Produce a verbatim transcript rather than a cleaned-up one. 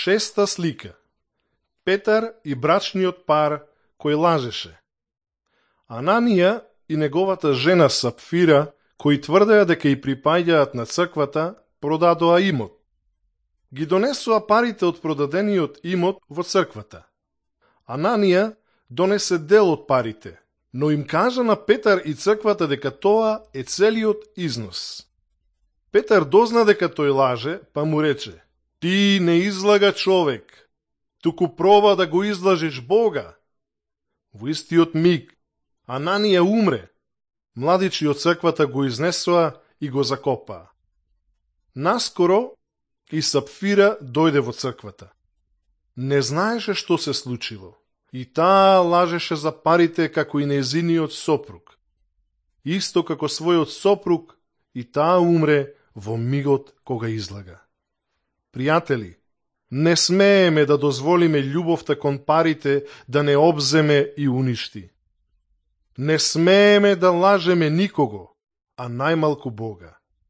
Шеста слика. Петар и брачниот пар кој лажеше. Ананија и неговата жена Сапфира, кои тврдеа дека и припаѓаат на црквата, продадоа имот. Ги донесоа парите од продадениот имот во црквата. Ананија донесе дел од парите, но им кажа на Петар и црквата дека тоа е целиот износ. Петар дозна дека тој лаже, па му рече: ти не излага човек, туку проба да го излажеш Бога. Во истиот миг Ананија умре. Младичи од црквата го изнесоа и го закопаа. Наскоро и Сапфира дојде во црквата. Не знаеше што се случило. И таа лажеше за парите како и незиниот сопруг. Исто како својот сопруг, и таа умре во мигот кога излага. Пријатели, не смееме да дозволиме љубовта кон парите да не обземе и уништи. Не смееме да лажеме никого, а најмалку Бога.